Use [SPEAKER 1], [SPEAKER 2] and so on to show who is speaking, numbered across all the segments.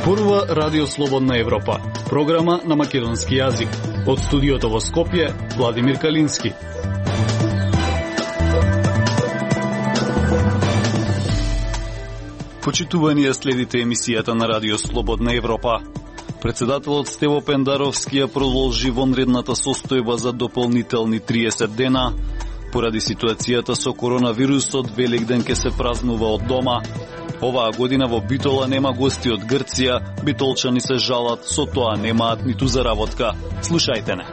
[SPEAKER 1] Зборува Радио Слободна Европа, програма на македонски јазик. Од студиото во Скопје, Владимир Калински. Почитувани ја следите емисијата на Радио Слободна Европа. Председателот Стево Пендаровски ја продолжи вонредната состојба за дополнителни 30 дена. Поради ситуацијата со коронавирусот, Великден ќе се празнува од дома. Оваа година во Битола нема гости од Грција, битолчани се жалат, со тоа немаат ниту заработка. Слушајте не.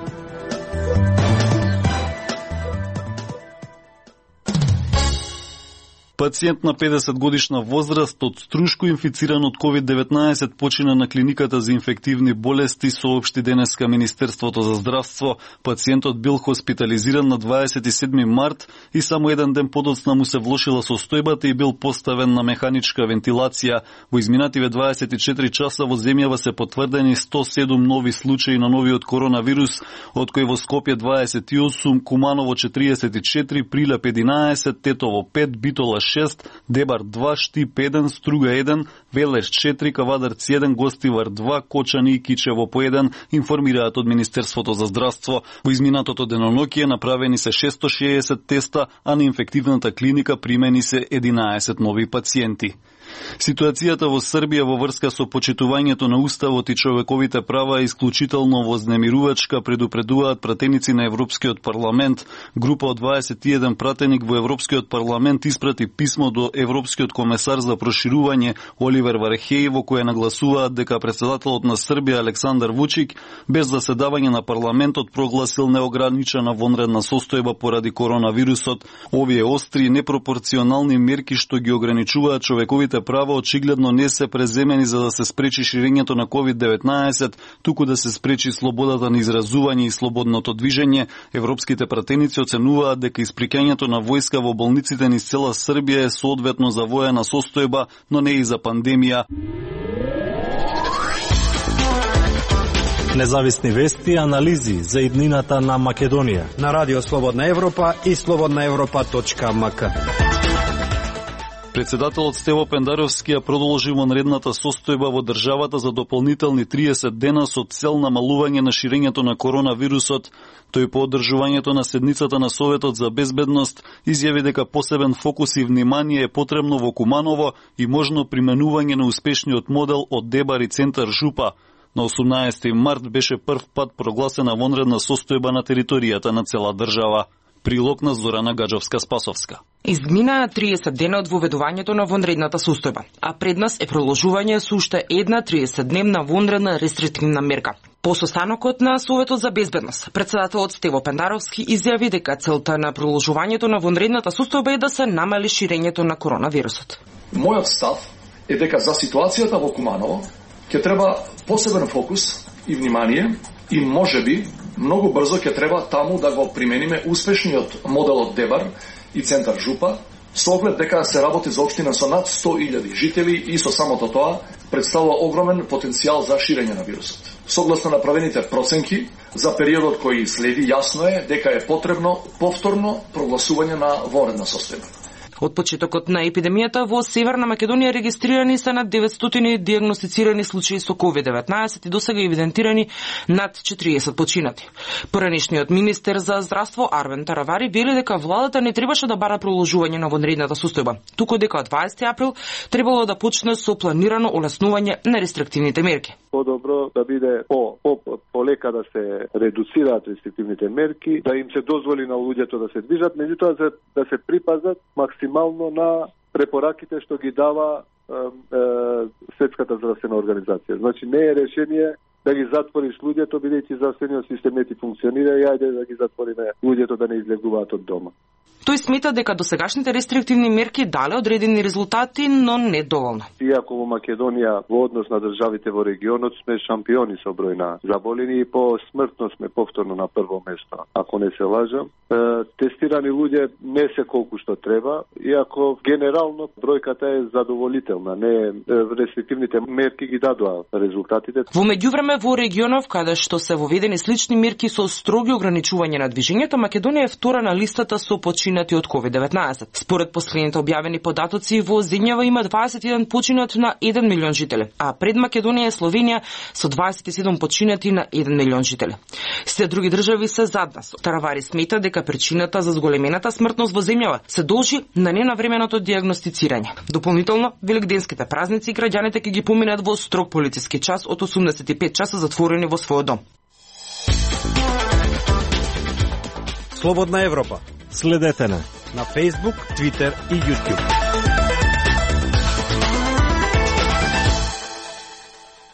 [SPEAKER 1] Пациент на 50 годишна возраст од Струшко инфициран од COVID-19 почина на клиниката за инфективни болести, соопшти денеска Министерството за здравство. Пациентот бил хоспитализиран на 27 март и само еден ден подоцна му се влошила состојбата и бил поставен на механичка вентилација. Во изминативе 24 часа во земјава се потврдени 107 нови случаи на новиот коронавирус, од кои во Скопје 28, Куманово 44, Прилеп 11, Тетово 5, Битола 6, Дебар 2, Штип 1, Струга 1, Велеш 4, Кавадарци 1, Гостивар 2, Кочани и Кичево по 1, информираат од Министерството за здравство. Во изминатото деноноќие направени се 660 теста, а на инфективната клиника примени се 11 нови пациенти. Ситуацијата во Србија во врска со почитувањето на Уставот и човековите права е исклучително вознемирувачка, предупредуваат пратеници на Европскиот парламент. Група од 21 пратеник во Европскиот парламент испрати писмо до Европскиот комесар за проширување Оливер Вархеј, во кое нагласуваат дека председателот на Србија Александар Вучик без заседавање на парламентот прогласил неограничена вонредна состојба поради коронавирусот. Овие остри и непропорционални мерки што ги ограничуваат човековите права очигледно не се преземени за да се спречи ширењето на COVID-19, туку да се спречи слободата на изразување и слободното движење. Европските пратеници оценуваат дека исприкањето на војска во болниците низ цела Србија е соодветно за воена состојба, но не и за пандемија.
[SPEAKER 2] Независни вести и анализи за иднината на Македонија
[SPEAKER 3] на Радио Слободна Европа и slobodnaevropa.mk.
[SPEAKER 1] Председателот Стево Пендаровски ја продолжи вонредната состојба во државата за дополнителни 30 дена со цел намалување на ширењето на коронавирусот. Тој по одржувањето на седницата на Советот за безбедност изјави дека посебен фокус и внимание е потребно во Куманово и можно применување на успешниот модел од Дебар и центар Жупа. На 18 март беше прв пат прогласена вонредна состојба на територијата на цела држава. Прилог на Зорана Гаджовска-Спасовска.
[SPEAKER 4] Изминаа 30 дена од воведувањето на вонредната состојба, а пред нас е продолжување со уште една 30-дневна вонредна рестриктивна мерка. По состанокот на Советот за безбедност, председателот Стево Пендаровски изјави дека целта на продолжувањето на вонредната состојба е да се намали ширењето на коронавирусот.
[SPEAKER 5] Мојот став е дека за ситуацијата во Куманово ќе треба посебен фокус и внимание и можеби многу брзо ќе треба таму да го примениме успешниот модел од Дебар и центар Жупа, со оглед дека се работи за општина со над 100.000 жители и со самото тоа представува огромен потенцијал за ширење на вирусот. Согласно направените проценки, за периодот кој следи, јасно е дека е потребно повторно прогласување на вонредна состојба.
[SPEAKER 4] Од почетокот на епидемијата во Северна Македонија регистрирани се над 900 диагностицирани случаи со COVID-19 и досега евидентирани над 40 починати. Поранешниот министер за здравство Арвен Таравари вели дека владата не требаше да бара продолжување на вонредната состојба, туку дека од 20 април требало да почне со планирано олеснување на рестриктивните мерки.
[SPEAKER 6] Подобро да биде полека да се редуцираат рестриктивните мерки, да им се дозволи на луѓето да се движат, меѓутоа да се припазат максимално на препораките што ги дава Светската здравствена организација. Значи не е решение да ги затвориш луѓето, бидејќи здравствениот систем не ти функционира и ајде да ги затвориме луѓето да не излегуваат од дома.
[SPEAKER 4] Тој смета дека досегашните рестриктивни мерки дале одредени резултати, но не доволно.
[SPEAKER 6] Иако во Македонија во однос на државите во регионот сме шампиони со број на заболени и по смртност сме повторно на прво место, ако не се лажам. Тестирани луѓе не се колку што треба, иако генерално бројката е задоволителна. Не рестриктивните мерки ги дадоа резултатите.
[SPEAKER 4] Во меѓувреме време во регионов каде што се воведени слични мерки со строги ограничување на движењето, Македонија е втора на листата со починати од COVID-19. Според последните објавени податоци, во земјава има 21 починат на 1 милион жители, а пред Македонија е Словенија со 27 починати на 1 милион жители. Сите други држави се зад нас. Таравари смета дека причината за зголемената смртност во земјава се должи на ненавременото дијагностицирање. Дополнително, великденските празници граѓаните ќе ги поминат во строг полициски час од 85 часа затворени во својот дом.
[SPEAKER 3] Слободна Европа.
[SPEAKER 2] Следете на
[SPEAKER 3] Facebook, Twitter и YouTube.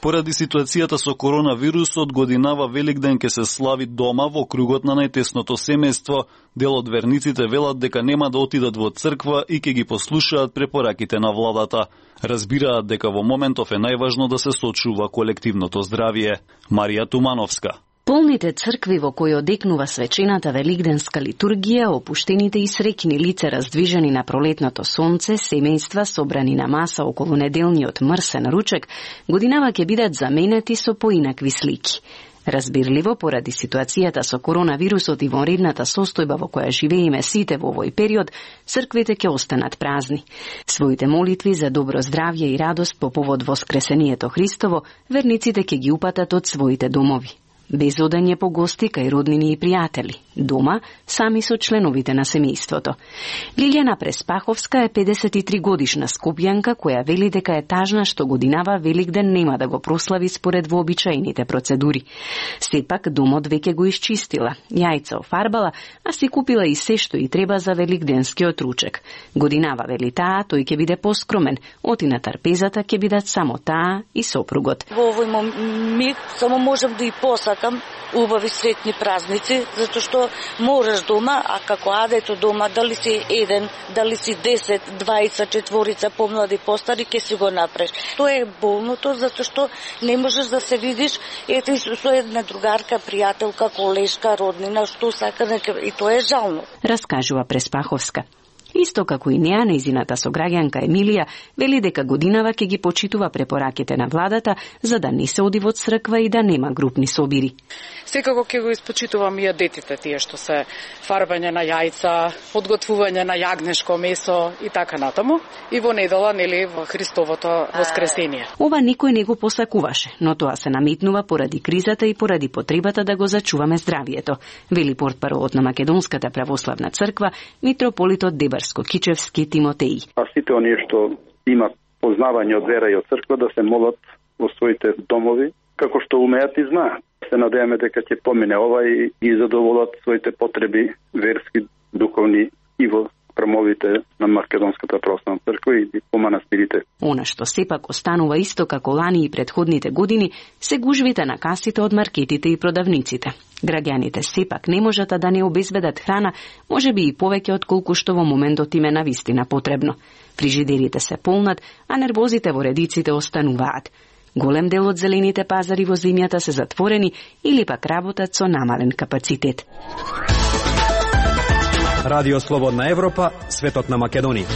[SPEAKER 1] Поради ситуацијата со коронавирусот, годинава Великден ќе се слави дома во кругот на најтесното семејство. Дел од верниците велат дека нема да отидат во црква и ќе ги послушаат препораките на владата. Разбираат дека во моментов е најважно да се сочува колективното здравје. Марија Тумановска.
[SPEAKER 7] Полните цркви во кои одекнува свечената великденска литургија, опуштените и среќни лица раздвижени на пролетното сонце, семејства собрани на маса околу неделниот мрсен ручек, годинава ќе бидат заменети со поинакви слики. Разбирливо, поради ситуацијата со коронавирусот и вонредната состојба во која живееме сите во овој период, црквите ќе останат празни. Своите молитви за добро здравје и радост по повод воскресението Христово, верниците ќе ги упатат од своите домови. Без одање по гости кај роднини и пријатели, дома, сами со членовите на семејството. Лилјана Преспаховска е 53 годишна скопјанка која вели дека е тажна што годинава Великден нема да го прослави според вообичаените процедури. Сепак домот веќе го исчистила, јајца офарбала, а си купила и се што и треба за великденскиот ручек. Годинава вели таа, тој ќе биде поскромен, оти на трпезата ќе бидат само таа и сопругот.
[SPEAKER 8] Во овој момент само можам да и посакам убави сретни празници, затоа што можеш дома, а како адето дома, дали си еден, дали си 10, 20, четворица, помлади, постари, ке си го напреш. Тоа е болното, затоа што не можеш да се видиш ете со една другарка, пријателка, колешка, роднина, што сака, и тоа е жално.
[SPEAKER 7] Раскажува Преспаховска. Исто како и неа, нејзината сограѓанка Емилија вели дека годинава ќе ги почитува препораките на владата за да не се оди во црква и да нема групни собири.
[SPEAKER 9] Секако ќе го испочитувам и детите тие што се фарбање на јајца, подготвување на јагнешко месо и така натаму. И во недела, нели, во Христовото воскресение.
[SPEAKER 7] Ова никој не го посакуваше, но тоа се наметнува поради кризата и поради потребата да го зачуваме здравието, вели портпаролот на Македонската православна црква, митрополитот Дебарско-Кичевски Тимотеј.
[SPEAKER 6] А сите оние што имат познавање од вера и од црква да се молат во своите домови, како што умеат и знаат. Се надеваме дека ќе помине ова и задоволат своите потреби верски, духовни и во храмовите на Македонската православна црква и по манастирите.
[SPEAKER 7] Она што сепак останува исто како лани и предходните години се гужвите на касите од маркетите и продавниците. Граѓаните сепак не можат да не обезбедат храна, можеби и повеќе од колку што во моментот им е навистина потребно. Фрижидерите се полнат, а нервозите во редиците остануваат. Голем дел од зелените пазари во земјата се затворени или пак работат со намален капацитет.
[SPEAKER 3] Радио Слободна Европа, светот на Македонија.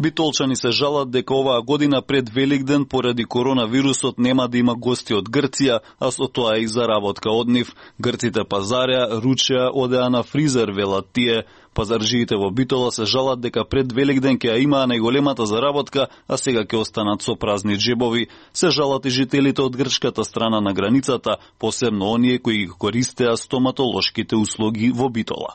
[SPEAKER 1] Битолчани се жалат дека оваа година пред Великден поради коронавирусот нема да има гости од Грција, а со тоа и заработка од нив. Грците пазарја, ручеа, одеа на фризер, велат тие. Пазаржиите во Битола се жалат дека пред Великден ќе имаа најголемата заработка, а сега ќе останат со празни джебови. Се жалат и жителите од грчката страна на границата, посебно оние кои ги користеа стоматолошките услуги во Битола.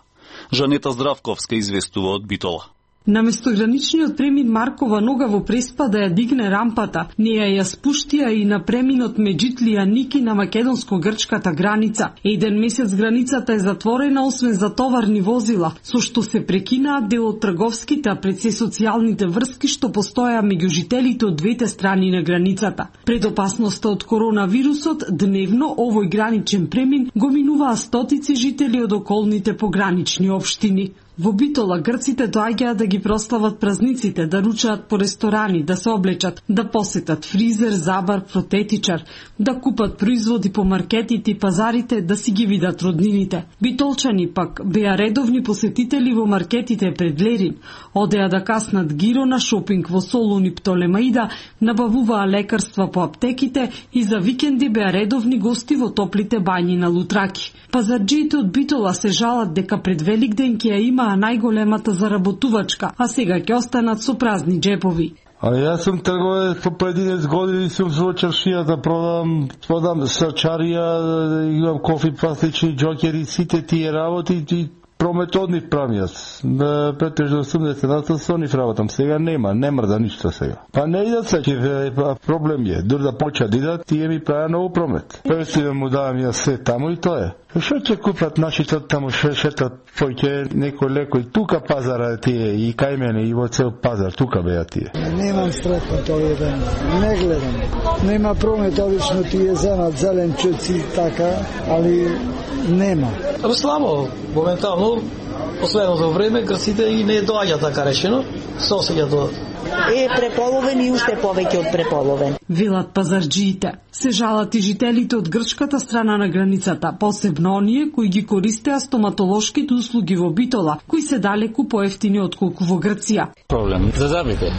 [SPEAKER 1] Жанета Здравковска известува од Битола.
[SPEAKER 10] Наместо граничниот премин Маркова нога во Преспа да ја дигне рампата, неја ја спуштија и на преминот Меджитлија Ники на македонско-грчката граница. Еден месец границата е затворена освен за товарни возила, со што се прекинаат дел од трговските, а пред се социјалните врски што постоја меѓу жителите од двете страни на границата. Пред опасноста од коронавирусот, дневно овој граничен премин го минуваа стотици жители од околните погранични општини. Во Битола грците доаѓаат да ги прослават празниците, да ручаат по ресторани, да се облечат, да посетат фризер, забар, протетичар, да купат производи по маркетите и пазарите, да си ги видат роднините. Битолчани пак беа редовни посетители во маркетите пред Лерин, одеа да каснат гиро на шопинг во Солун и Птолемаида, набавуваа лекарства по аптеките и за викенди беа редовни гости во топлите бањи на Лутраки. Пазарџиите од Битола се жалат дека пред Великден ќе ја имаа најголемата заработувачка, а сега ќе останат со празни джепови.
[SPEAKER 11] А јас сум трговец по 11 години, сум во чаршијата, продам срчарија, имам кофи, пластични џокери, сите тие работи и промет од нив правам јас. Претежно 80% со нив работам. Сега нема да ништо сега. Па не идат се, проблем е. Дур да почат идат, тие ми прават ново промет. Престивам му давам јас се таму и тоа е. Што ќе купат нашите таму шетат поќе некој лекој тука пазара тие и кај мене и во цел пазар тука беа тие.
[SPEAKER 12] Немам стретнат овие ден. Не гледам. Нема промет, обично тие земат зеленчуци така, али нема.
[SPEAKER 13] Слабо, моментално последното време грците и не доаѓа така речено, со сега до
[SPEAKER 14] преполовен и уште повеќе од преполовен.
[SPEAKER 10] Велат пазарџиите. Се жалат и жителите од грчката страна на границата, посебно оние кои ги користеа стоматолошките услуги во Битола, кои се далеку поевтини отколку во Грција.
[SPEAKER 2] Проблем за забите.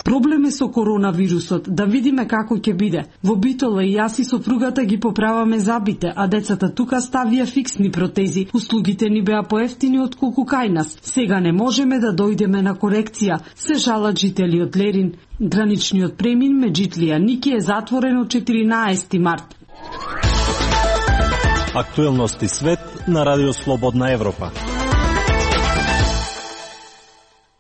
[SPEAKER 10] Проблем е со коронавирусот, да видиме како ќе биде. Во Битола и јас и сопругата ги поправаме забите, а децата тука ставија фиксни протези. Услугите ни беа поевтини отколку кај нас. Сега не можеме да дојдеме на корекција, се жалат жители од Лерин. Граничниот премин Меджитлија Ники е затворен од 14 март.
[SPEAKER 2] Актуелности свет на Радио Слободна Европа.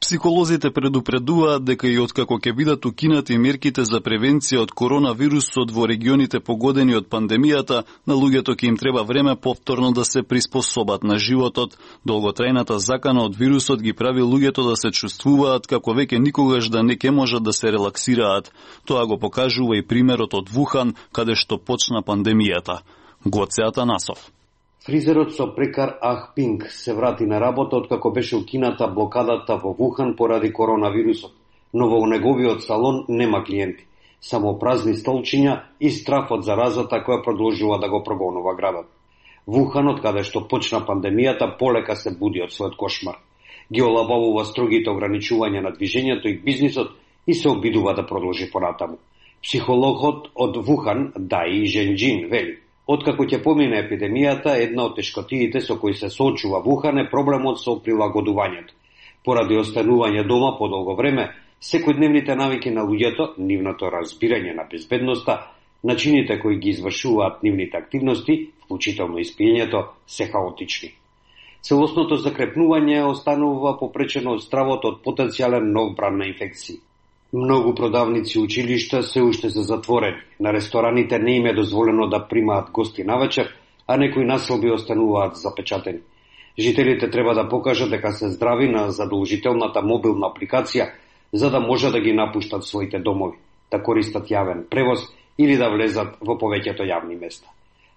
[SPEAKER 1] Психолозите предупредуваат дека и откако ќе бидат укинати мерките за превенција од коронавирусот во регионите погодени од пандемијата, на луѓето ќе им треба време повторно да се приспособат на животот. Долготрајната закана од вирусот ги прави луѓето да се чувствуваат како веќе никогаш да не ќе можат да се релаксираат. Тоа го покажува и примерот од Вухан, каде што почна пандемијата. Гоце Атанасов.
[SPEAKER 15] Фризерот со прекар Ах Пинг се врати на работа откако беше укината блокадата во Вухан поради коронавирусот, но во неговиот салон нема клиенти, само празни столчиња и страф од заразата која продолжува да го прогонува градот. Вуханот, каде што почна пандемијата, полека се буди од својот кошмар. Ги олабавува строгите ограничувања на движењето и бизнисот и се обидува да продолжи понатаму. Психологот од Вухан, Даи Женџин, вели: откако ќе помине епидемијата, една од тешкотиите со кои се соочува Вухан е проблемот со прилагодувањето. Поради останување дома подолго време, секојдневните навики на луѓето, нивното разбирање на безбедноста, начините кои ги извршуваат нивните активности, вклучително испиењето, се хаотични. Целосното закрепнување останува попречено од стравот од потенцијален нов бран на инфекции. Многу продавници и училишта се уште се затворени. На рестораните не им е дозволено да примаат гости навечер, а некои населби остануваат запечатени. Жителите треба да покажат дека се здрави на задолжителната мобилна апликација, за да може да ги напуштат своите домови, да користат јавен превоз или да влезат во повеќето јавни места.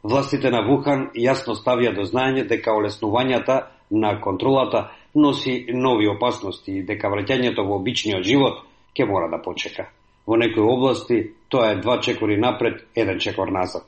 [SPEAKER 15] Властите на Вухан јасно ставија до знаење дека олеснувањата на контролата носи нови опасности и дека враќањето во обичниот живот ќе мора да почека. Во некои области тоа е 2 чекори напред, 1 чекор назад.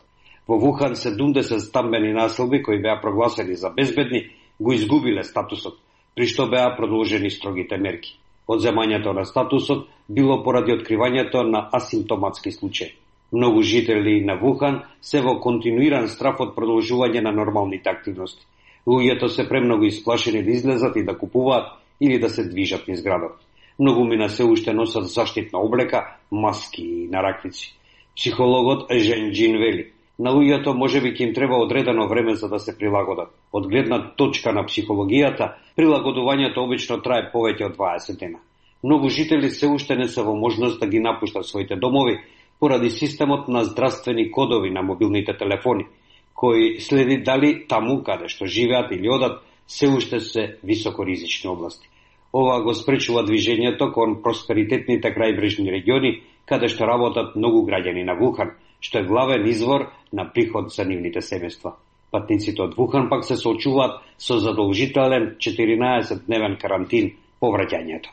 [SPEAKER 15] Во Вухан 70 стамбени населби кои беа прогласени за безбедни го изгубиле статусот, при што беа продолжени строгите мерки. Одземањето на статусот било поради откривањето на асимптоматски случаи. Многу жители на Вухан се во континуиран страф од продолжување на нормалните активности. Луѓето се премногу исплашени да излезат и да купуваат или да се движат низ градот. Многу мина се уште носат заштитна облека, маски и нараквици. Психологот Женџин вели: на луѓето можеби ќе им треба одредено време за да се прилагодат. Од гледна точка на психологијата, прилагодувањето обично трае повеќе од 20 дена. Многу жители се уште не се во можност да ги напуштат своите домови поради системот на здравствени кодови на мобилните телефони, кои следи дали таму каде што живеат или одат се уште се високоризични области. Ова го спречува движењето кон просперитетните крајбрежни региони, каде што работат многу граѓани на Вухан, што е главен извор на приход за нивните семејства. Патниците од Вухан пак се соочуваат со задолжителен 14-дневен карантин по враќањето.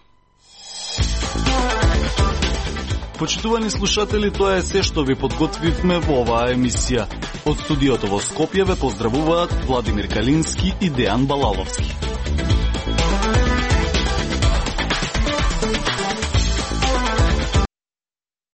[SPEAKER 1] Почитувани слушатели, тоа е се што ви подготвивме во оваа емисија. Од студиото во Скопје ве поздравуваат Владимир Калински и Дејан Балаловски.